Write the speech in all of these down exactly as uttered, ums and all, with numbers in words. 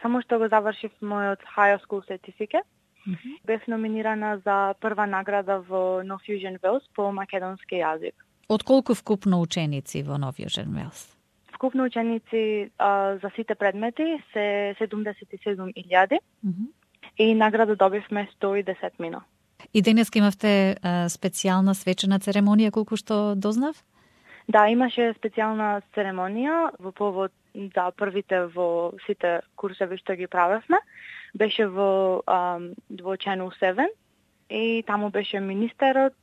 само што го завршив мојот high school certificate. Mm-hmm. Бев номинирана за прва награда во No Fusion Wales по македонски јазик. Од колку вкупно ученици во No Fusion Wales? Вкупно ученици а, за сите предмети се седумдесет и седум илјади Mm-hmm. и награда добивме сто и десет мина. И денес имавте а, специјална свечена церемонија, колку што дознав? Да, имаше специјална церемонија во повод да првите во сите курсеви што ги правевме. Беше во um, во Channel седум и таму беше министерот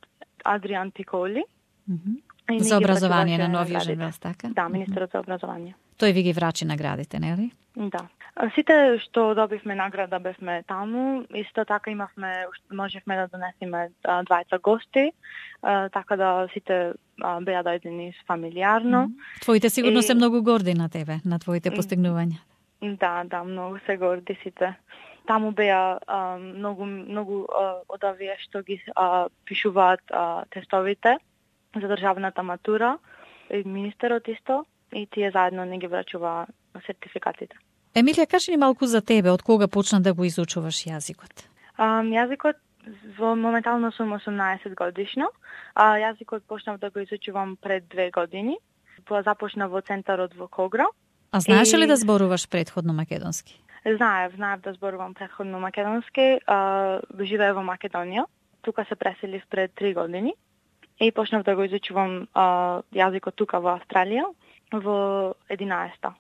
Адриан Пиколи. Mm-hmm. За образование на No Fusion Wales, така? Да, министерот за образование. Тој ви ги врачи наградите, нели? Да. Сите што добивме награда бевме таму, исто така имавме, можевме да донесеме двајца гости, така да сите беа дојдени фамилиарно. Mm-hmm. Твоите сигурно и... се многу горди на тебе, на твоите постигнувања. Да, да, многу се горди сите. Таму беа а, многу многу а, од овие што ги а, пишуваат а, тестовите за државната матура, и министерот исто, и тие заедно не ги врачува сертификатите. Емилија, кажи ни малку за тебе, од кога почна да го изучуваш јазикот? А, јазикот, во моментално сум осумнаесет годишна, а јазикот почнав да го изучувам пред две години. Започнав во центарот во Когра. А знаеш и... ли да зборуваш претходно македонски? Знаев, знаев да зборувам претходно македонски. А, живеев во Македонија. Тука се преселив пред три години. И почнав да го изучувам а, јазикот тука во Австралија во единаесета.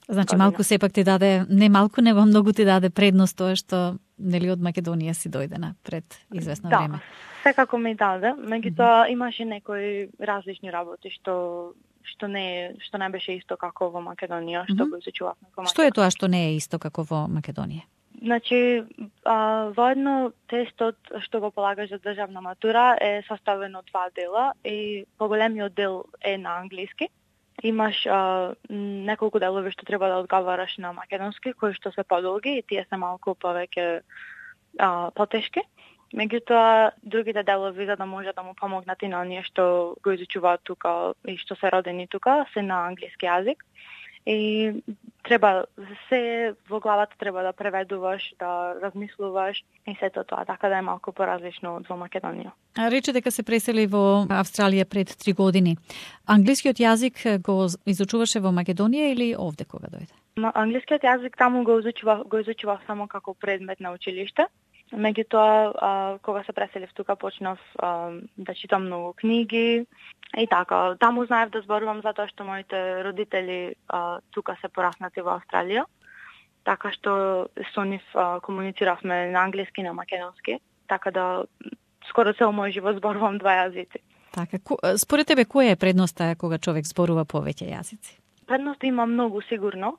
Значи година. малку сепак ти даде, не малку, него многу ти даде предност тоа што нели од Македонија си дојдена пред известно да, време. Да, секако ми даде. Меѓутоа mm-hmm. имаше некои различни работи што што не што не беше исто како во Македонија, што mm-hmm. го изучувавме во Македонија. Што е тоа што не е исто како во Македонија? Значи, а, воедно тестот што го полагаш за државна матура е составен од два дела и поголемиот дел е на англиски. Имаш а, неколку делови што треба да одговараш на македонски, кои што се подолги и тие се малку повеќе а, потешки. Меѓутоа, другите делови, за да може да му помогнат и на оние што го изучуваат тука и што се родени тука, се на англиски јазик. И треба, се во главата треба да преведуваш, да размислуваш и сето тоа, така да е малку поразлично од во Македонија. Рече дека се пресели во Австралија пред три години. Англискиот јазик го изучуваше во Македонија или овде кога дојде? Англискиот јазик таму го изучував, го изучував само како предмет на училиште. Меѓутоа, кога се преселив тука, почнав а, да читам многу книги и така. Таму знаев да зборувам затоа што моите родители а, тука се пораснати во Австралија, така што со нив а, комунициравме на англиски и на македонски, така да скоро цел мој живот зборувам два јазици. Така, според тебе која е предноста кога човек зборува повеќе јазици? Предност има многу сигурно.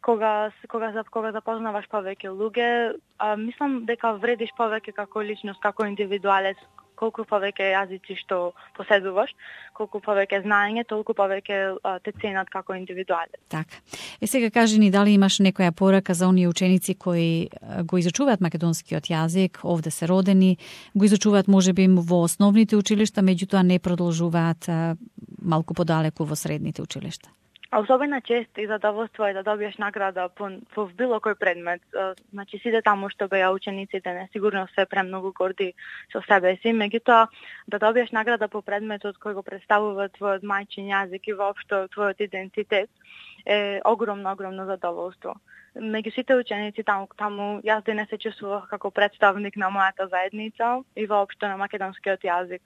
Кога кога кога запознаваш повеќе луѓе, а, мислам дека вредиш повеќе како личност, како индивидуалец, колку повеќе јазици што поседуваш, колку повеќе знаење, толку повеќе а, те ценат како индивидуалец. Така. Е сега кажи ни дали имаш некоја порака за оние ученици кои го изучуваат македонскиот јазик, овде се родени, го изучуваат можеби во основните училишта, меѓутоа не продолжуваат а, малку подалеку во средните училишта. А особена чест и задоволство е да добиеш награда по, по било кој предмет. Значи, сите таму што беа учениците, не сигурно се премногу горди со себе си, меѓутоа да добиеш награда по предметот кој го представува твојот мајчин јазик и воопшто твојот идентитет е огромно, огромно задоволство. Меѓу сите ученици таму, таму јас денес се чувствував како представник на мојата заедница и воопшто на македонскиот јазик.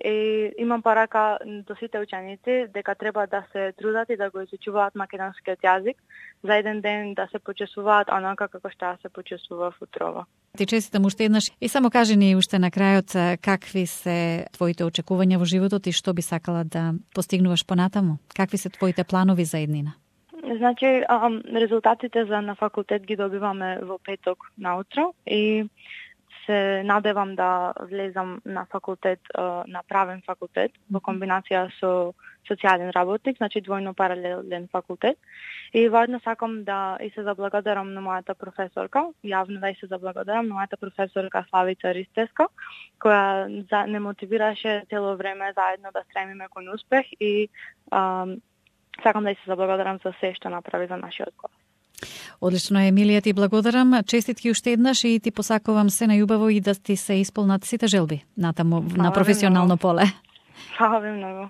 И имам порака до сите ученици дека треба да се трудат и да го изучуваат македонскиот јазик, за еден ден да се почувствуваат онака како што се почувствував утрова. Ти честитам уште еднаш и само кажи ни уште на крајот какви се твоите очекувања во животот и што би сакала да постигнуваш понатаму? Какви се твоите планови за еднина? Значи, резултатите за на факултет ги добиваме во петок наутро и се надевам да влезам на факултет, на правен факултет, во комбинација со социјален работник, значи двојно паралелен факултет. И воедно сакам да и се заблагодарам на мојата професорка, јавно да и се заблагодарам на мојата професорка Славица Ристеска, која за, не мотивираше цело време заедно да стремиме кон успех и ам, сакам да и се заблагодарам за се што направи за нашиот клас. Одлично, Емилија, ти благодарам. Честитки уште еднаш и ти посакувам се најубаво и да ти се исполнат сите желби натаму на професионално поле. Фала ви многу.